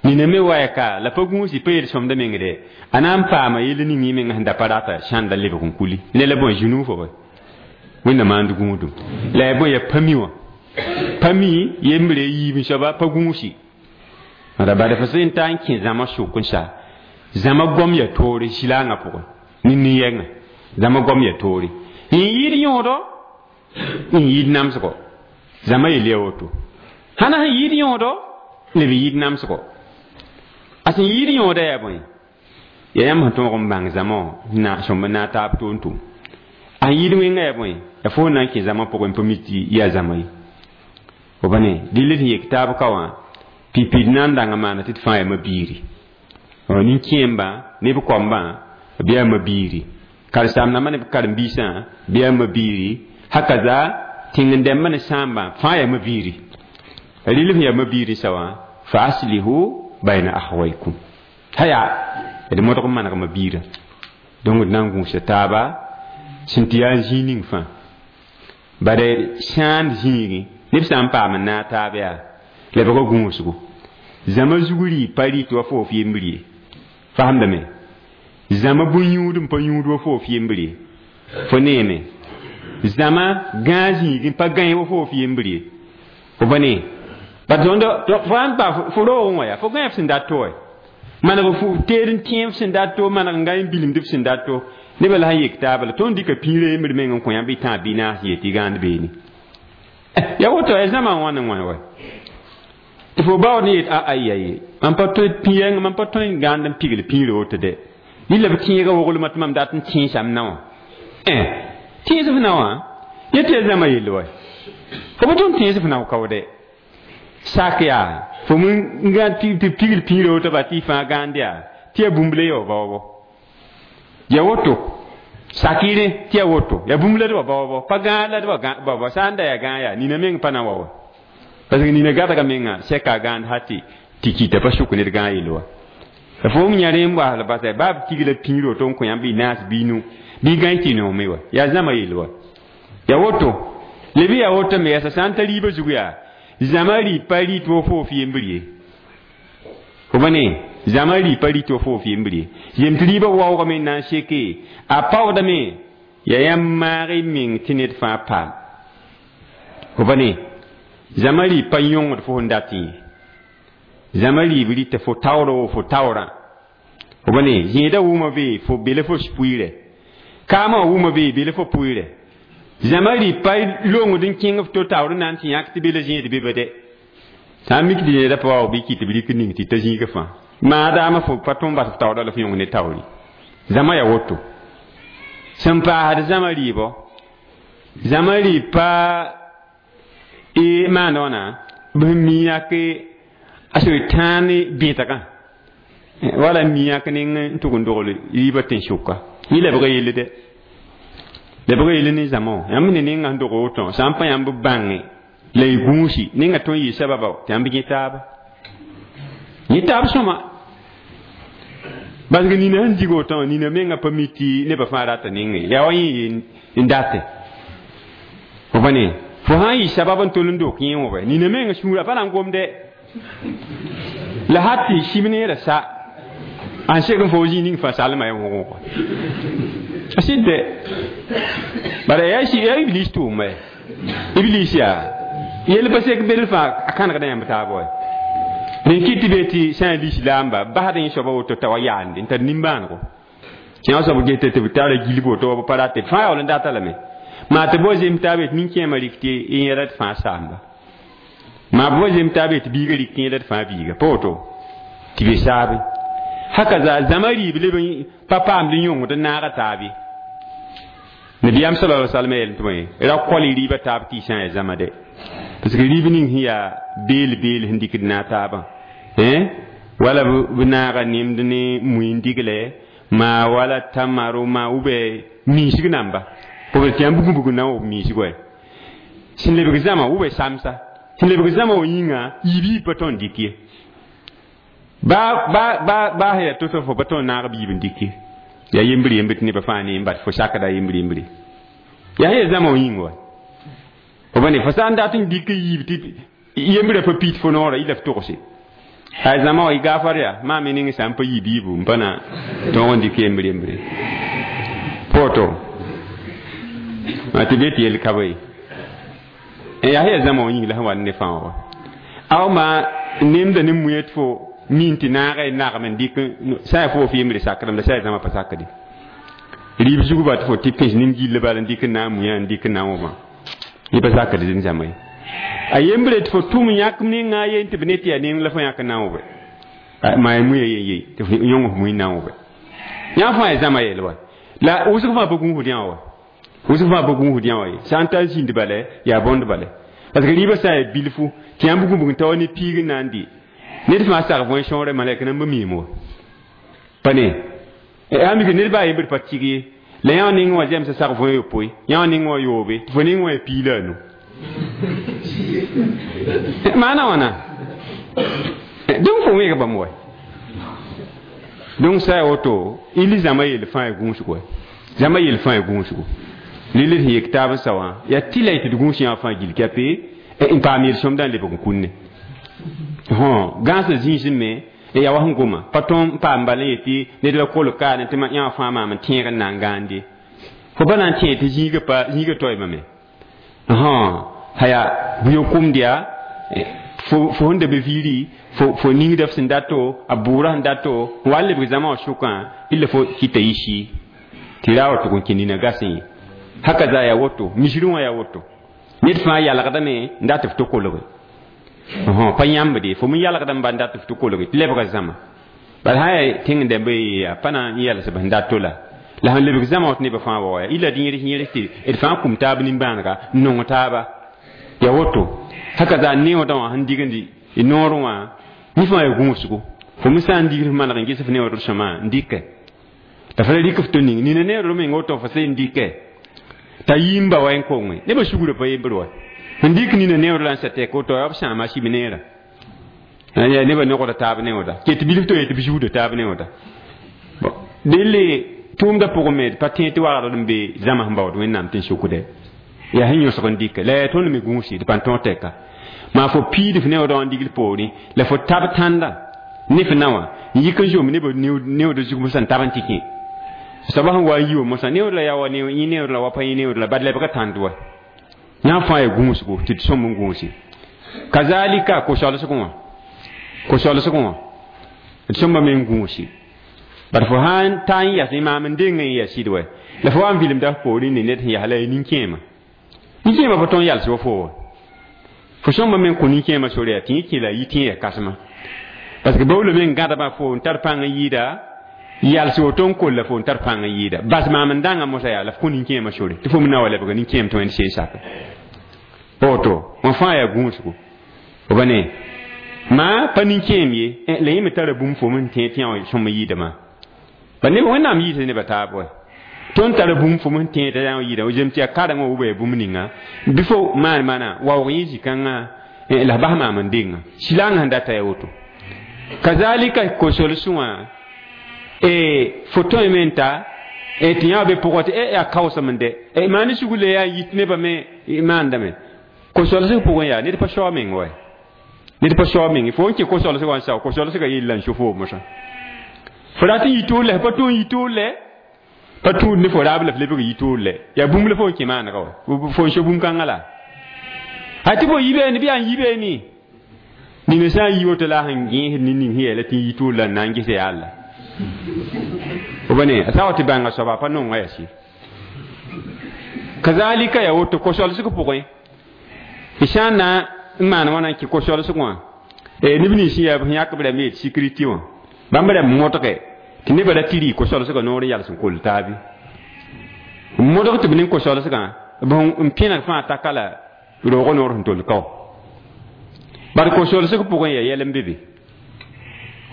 nina me waya ka la pa gũusi pa yel-sõmda mengde a na n paama yell ning yẽ menga sẽn da pa rata sãnda lebg n kuli ne la bõe zũnug fo bõe wẽnna maand gũudum la yaa bõe yaa pa mi wã pa mi yembre yiib n soaba pa gũusi ra bad fo sẽn ta n kẽ zãma sʋk n sa zãma gom ya toore silaangã pʋgẽ ne nin-yɛngã zãma gom ya toore n yɩɩd yõodo n yɩɩd namsgo zãma yel ya woto hãna sẽn yɩɩd yõodo leb yɩɩd namsgo a sẽn yɩɩd yõoda yaa bõe yaa yãmb sẽn tõog n bãng zãma wã na sõmb n na n taab toon tʋm a sẽn yɩɩd wẽnga yaa bõe yaa fo na n kẽ zãma pʋgẽ pa mi tɩ yaa zãma ye fo ba ne dɩl sẽn yek taab ka wã pipid na n dãng n maana tɩ d fãa yaa mabiiri nin-kẽembã ne b koambã bɩ yaa mabiiri karen-saamdãmbã ne b karen-biisã bɩ yaa mabiiri hakaza tẽng-dɛmbã ne sãambã fãa yaa mabiiri rɩl sẽn yaa mabiiri sa wã fa aslihu bayna akhawaykum haya d modg n maneg mabiirã donc d na n gũusa taaba sẽn tɩ yaa zĩig ning fãa bad sãand zĩigẽ neb sã n paam n naag taab yaa lebga gũusgo zãma zug rɩ pa rɩt wa fo f yembr ye fasemdame zãma bũn-yũud n pa yũud wa fo f yembr ye fo neeme zãma gãag zĩig n pa gãe wa fo f yembr ye fo pa ne ba tõnd fo sãn pa fo roogẽ wã yaa fo gãe f sẽn dat to wɛ maneg fu teed n tẽe f sẽn dat to maneg n gã n bilimd f sẽn dat to nebã la sẽn yek taaba la tõnd dɩka pĩirã yembr meng n kõ yãmb y tãag bɩ naas yet tɩ gãand beene ya woto ya zãma n wãn n wã wa tɩ fo baood n yet a aya ye mam pa tõe pĩ-yɛng mam pa tõe n gãand n pigl pĩirã woto dɛ rɩla b tẽegã woglmã tɩ mam dat n tẽesam na wã tẽes f na wã yẽ tɩ ya zãma yell wa fo pa tõnd tẽes f na kaoodɛ sak yaa fo n gã tɩ pigl pĩirã woto ba tɩ y fãa gãand yaa tɩ ya bũmb la ya wa baoobɔ ya woto sakɩrẽ tɩ ya woto ya bũmb la d wa baoobɔ pa gãag la d wa baoobɔ sã n da yaa gãag yaa nina meng pa na wa wa parce que nina gadga menga sɛka gãand ha tɩ tɩ kɩta pa sʋk ned gãag yell wa fo m yã rẽ n waasl basa baa b tigla pĩir woto n kõ yãmb y naas bɩ nu bɩ gãe tɩ noome wa yaa zãma yell wa ya woto leb yaa woto me yaa sã n ta rɩɩbã zug yaa zãma rɩ pa rɩt wa fo f yembr ye fo ba ne zãma rɩ pa rɩt wa fo f yembr ye yem tɩ rɩɩbã waoogame n na n seke a paoodame yaa yãmb maag y meng tɩ ned fãa paam fo ba ne zãma rɩ pa yõngd fo sẽn dat ye Zãma rɩɩb rɩta fo taooro fo taoorã fo pa ne zẽedã wʋma be fo bele fo pʋɩɩrɛ kaamã wã wʋma be bele fo pʋɩɩrɛ zãma rɩ pa longd n kẽng f to taoor n na n tɩ yãk tɩ be la zẽed be ba dɛ sã n mik tɩ zẽedã pa wa bɩ kɩ tɩ b rɩk ning tɩ ta zĩigã fãa maadaama fo pa tõnd bas f taoorã la f yõng ne taoori zãma yaa woto sẽn paasd zãma rɩɩbɔ zãma rɩɩb pa y maanda wãna b sẽn mi yãk a sẽn tãa ne bẽtgã wala mi yãk ning n tʋg n dogl rɩɩbã tẽn-sʋka yẽ lebga yelle dɛ lebga yelle ne zãma wã yãmb ne ninga sẽn dog woto sã n pa yãmb bãnge la y gũusi ninga tõe n yɩ sababa tɩ yãmb yẽ taaba yẽ taab sõma parce que nina sẽn dig woto nina menga pa mi tɩ nebã fãa rata ninge yaa wa yẽ n date fo pa ne fo sã n yɩ sabab n tol n dok yẽ wã nina menga sũurã pa na n gomde la hat tɩ sib neerã sa n sek n fo zĩ ning fãa salma ya wʋgʋgã a sɩd dɛ bala yaa iblis tʋʋma iblis yaa yel pa sek bel fãa a kãnegda yãmb taab wa rẽn kɩt tɩ be tɩ sã n lislaamba basd yẽ soaba woto t'a wa yaande n tar nimbãanego yã soab geta tɩ b tara gilg woto wa b pa rate fãa yaool n data lame maa tɩ bao zem taab yetɩ nin-kẽemã rɩk tɩ yẽra d fãa saamba maa bao zem taab yetɩ biigã rɩk tɩ yẽra d fãa biiga pa woto tɩ be saabe haka za zãma rɩɩb leb n pa paamd n yõngd n naaga taab ye nabiyaam sala alaihi wasallam yel tɩ bõe ra kol y rɩɩbã taab tɩ y sã n yaa zãma dɛ parce que rɩɩb ning sẽn yaa beel beel sẽn dɩkd naag taabã wala b naaga nemd ne mui n digle maa wala tamaro maa ou bien miisg namba b tɩ yãmb bugum bugum na n wʋb miisg wa sẽn lebg zãma ou bien samsa sẽn lebg zãma wã yĩnga yiib yiib pa tõe n dɩk ye ba ba ba ba sẽn yaa to-to fo pa tõe n naag biib n dɩk ye yaa yembr yembr tɩ nebã fãa ne n bat fo sakda yembr yembre yaa sẽn yaa zãma wã yĩng wa fo pa ne fo sã n dat n dɩk yiib tɩ yembrã pa pit fo noorã yɩ la f togse ay zãma wã y gaafar yaa maa me ning sã n pa yi biibu n pa na tõog n dɩk yembr yembre poto tɩ be tɩ yel ka ye yaa sẽn yaa zãma wã yĩng la sẽn wa ne fãa wa aw maa nemda ne muẽ tɩ fo min tɩ naaga y nagm n dɩk sã n yaa fo f yembre sakdame la sã yaa zãma pa sakde rɩɩb zugba tɩ fo tɩ pẽs nin-gill bala n dɩk n na n muã n dɩk n na n wʋmã yẽ pa sakd zĩn zãma ye a yembre tɩ fo tʋm yãk ninga yen tɩ b ne tɩ yaa neng la fo yãk n na n wʋbe maa ya muya yen ye tɩ fo yõng f mui n na n wʋbe yã fãa yaa zãma yel wa la wʋsg fãa pa gũusd yã wa wʋsg fãa pa gũusd yã wa ye sã n tar zĩnd bala yaa bõnd bala parce que rɩɩbã sã n yaa bilfu tɩ yãmb gũbg n ta wa ne piig n na n dɩ ned fãa sag võe sõore malɛk nan b miim wa pa ne yaa mik ned baa yembr pa tɩg ye la yã ning wã zɛmsã sag võe yopoe yã ning wã yoobe tɩ fo ning wã yaa piig la a nu maana wãna donc fo wẽeg bãmb wa donc sã ya woto il zãma yel fãa ya gũusgo zãma yel fãa ya gũusgo rɩl d sẽn yek taab n sa wã yaa tɩ la y tɩ d gũus yã fãa gill kɛpe n paam yel-sõmdã n lebg n kũnne gãasã zĩisẽ me yaa wa sẽn goma pa tõe n paam bala n yetɩ ned la kolg kaane tɩ yã fãa maam n tẽeg n na n gãande fo pa na n tẽeg tɩ zĩigã pa zĩigã toeemame haya bʋ-yokomd yaa fo sẽn da be viiri fo ningda f sẽn dato a bʋʋrã sẽn dato n wa n lebg zãma wã sʋkã illa fo kɩta yɩ sɩ tɩ ra wa tʋg n kẽ nina gasẽ ye haka za yaa woto misrẽ wã yaa woto ned fãa yalgdame n dat f tɩ kolge pa yãmbde fo me yalgdame ba n dat f tɩ kolge tɩ lebga zãma bala sã yaa tẽng dãmba yaa pa na n yɛls b sẽn dato la la sẽn lebg zãma wã tɩ nebã fãa wa ya illa d yẽrs yẽrs tɩ d fãa kum taab nimbãanega n nong taaba ya woto haka za neoodã wã sẽn digndi y noorẽ wã yẽ fãa ya gũusgo fo me sã n digd f maneg n ges f neoodr sõma n dɩkɛ la fa la rɩk f tɩ ning nina neoodr meng woto fo sẽn dɩkɛ t'a yĩmba wa n konge nebã sugrã pa yembr wa n dɩk nina neood la n sa tɛk woto yaa b sãama sib neerã nebã nogda taab neooda ket bilf to yetɩ b zuuda taab neooda delle tʋʋmdã pʋgẽ me pa tẽ tɩ wagdr n be zãma sẽn baood wẽnnaam tɩ n sukdɛ yaa sẽn yõsg n dɩkɛ la yaa tõnd me gũusi d pa n tõog tɛka maa fo piid f neoodã wã n digl poorẽ la fo tab tãnda ne f na wã n yik n zom nebã neoodã zug mosã n tab n tɩ kẽ soaba sẽn wa n yi wa mosã neood la yaa wa yẽ neood la wa pa yẽ neood la bad lebga tãnd wa yã fãa yaa gũusgo tɩ d sõm n gũusi kazalika ko-soalsg wã Ko-solsgẽ wã d sõmba me n gũusi bad fo sã n ta n yas maam n deng n ya sɩd wɛ la fo wa n vilemda f poorẽ ne ned sẽn yas la ya nin-kẽema nin-kẽema pa tõe n yals wa fo wa fo sõmba me n kõ nin-kẽema sore yaa tɩ yẽ kẽ la a yi tɩ yẽ ya kãsema parce que baoolame n gãdma fo n tar pãng n yɩɩda yals woto n kolla fo n tar pãng n yɩɩda bas maam n dãnga mosã yaa la f kõ nin-kẽema sore tɩ fo me na wa lebga nin-kẽem tɩ wẽnd seen sake woto wã fãa yaa gũusgo b ne maa pa nin-kẽem ye la yẽ me tara bũmb fo me tẽ tɩ yã sõm yɩɩdame ba neb wẽnnaam yɩɩsa nebã taab wɛ tõnd tara bũmb fo me tẽ t'a yã yɩɩda zem tɩ yaa karengã wʋba yaa bũmb ninga bɩ fo maan maana waoog yẽ zĩ-kãngã la f bas maam n denga silaangã sẽn data yaa woto kazalika ko-solsẽ wã fo tõeme n ta tɩ yã be pʋgã tɩ yaa kaoosem n dɛ maan sugr la yaa yit nebã me maandame ko-solsg pʋgẽ yaa ned pa soa meng wɛ ned pa soa meng fo n kẽ ko-solsg wã n sao ko-solsgã yella n so fo mosã fo rat n yi toor la pa tõe n yi toor lɛ pa tũud ne fo raab la f lebg yi toor lɛ yaa bũmb la fo n kẽ maanega wa fo n so bũmb-kãngã la a tɩ fo yibeene bɩ yaa n yibeene nina sã n yi woto la a sẽn gẽesd ne ning sẽn yɛɛla tɩ n yi toor la n na n ges yaa la b ne a sã wa tɩ bãnga soaba pa nonga yaa sɩ kazalika yaa woto ko-solsg pʋgẽ y sã n na n maan wãna n kẽ ko-solsg wã neb nins sẽn yaa b sẽn yãk b rãmb yet sécurité wã bãmb rãmb modge tɩ nebã ra tɩ rɩ ko-solsgã noor n yals n koll taabe n modg tɩ b ning ko-solsgã b n pẽneg fãa taka la roogã noor sẽn tol kao bad ko-solsg pʋgẽ yaa yɛl n be be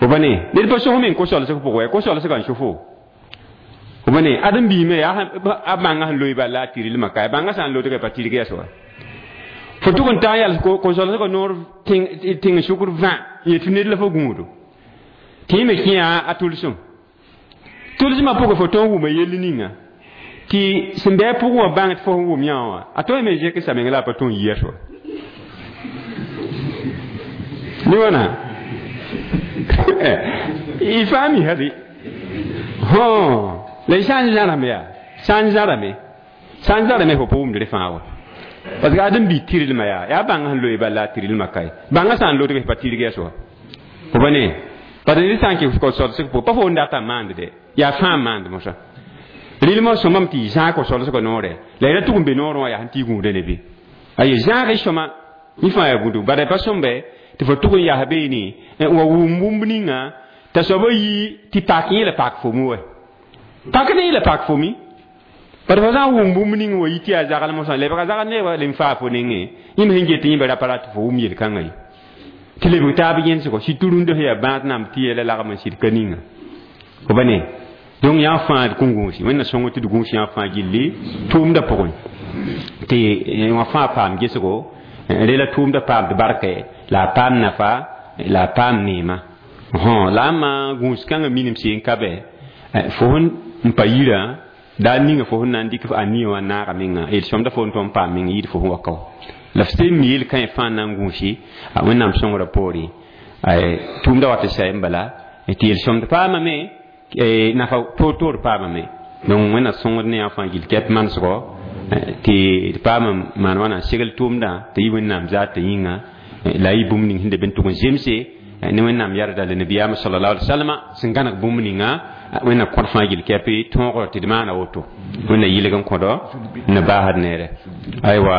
b ne ned pa sos meng ko-solsg pʋgẽ yaa ko-solsgã n so fo b ne ãdem-biime yaa a bãngã sẽn loe bala a tɩrlmã ka bãngã sã n lodgã pa tɩrg yɛs wa fo tʋg n ta n yals ko-solsgã noor tẽng sʋkr vã n yet tɩ ned la fo gũudo tɩ yẽ me kẽ a tʋlsem tʋlsmã pʋgẽ fo tõe n wʋma yell ninga tɩ sẽn bɩ a pʋgẽ wã bãng tɩ fo sẽn wʋm yã wã a tõe me zẽk sa meng la a pa tõe n yi a soa ne wãna y faam y hali la y sã n zãrame yaa sã n zãrame sã n zãrame fo pa wʋmd rẽ fãa wa parce que ãdem-bi tɩrlmã yaa yaa bãngã sẽn loe bala a tɩrlmã kae bãngã sã n lodg pa tɩrg yaa soa fo pa ne parce ned sã n kɩ ko-solsg pʋgẽ pa fo n data n maand dɛ yaa fãa n maand mosã rɩlmã sõmame tɩ y zãag ko-solsgã noorɛ la y ra tʋg n be noorẽ wã yaa sẽn tɩ y gũuda ne be aye zãag y sõma yẽ fãa yaa gũudg bala pa sõmbe tɩ fo tʋg n yaa beene wa wʋm bũmb ninga t'a soaba yi tɩ pak yẽ la pak fomi wɛ pak ne yẽ la pak fomi bad fo sã n wʋm bũmb ning wa yi tɩ yaa zagl mosã lebga zagl ne wa lem faa fo nengẽ yẽ me sẽn get yẽ ba ra pa rat tɩ fo wʋm yel-kãngã ye tɩ lebg taab yẽnsgo sɩd tʋrũndã sẽn yaa bãad namb tɩ yɛla lagm n sɩd ka ninga fo ba ne donc yã fãa d kõn gũusi wẽnna sõng tɩ d gũus yã fãa gilli tʋʋmdã pʋgẽ tɩ wã fãa paam gesgo rela tʋʋmdã paamd barkɛ la a paam nafa la a paam neema la a maa gũus kãngã minim seen ka bɛ fo sẽn pa yirã daa ninga fo sẽn na n dɩk a nia wã naaga menga yel-sõmda fo n tõe n paam meng yɩɩd fo sẽn wa kao la f sẽn mi yel-kãe fãa na n gũusi a wẽnnaam sõngrã poorẽ tʋʋmda wat n sayẽ bala tɩ yel-sõmd paamame nafa toor-toor paamame donc wẽnna sõngd ne yã fãa gill kɛp manesgɔ tɩ d paam maan wãna n segl tʋʋmdã tɩ yɩ wẽnnaam zaatã yĩnga la y bũmb ning sẽn de b n tʋg n zemse ne wẽnnaam yarda la nabiyaamã sallallahu alaihi wasallam sẽn gãneg bũmb ninga wẽnna kõd fãa gill kɛp tõogr tɩ d maana woto wẽnna yɩlg n kõdɔ n baasd neere aywa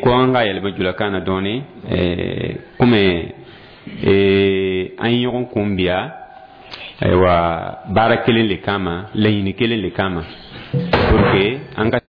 koanga yɛlmã jula kãana dõone kʋme an yõg n kũm bɩa aywa baara kelen le kãma lañini kelen le kãma pour que an ka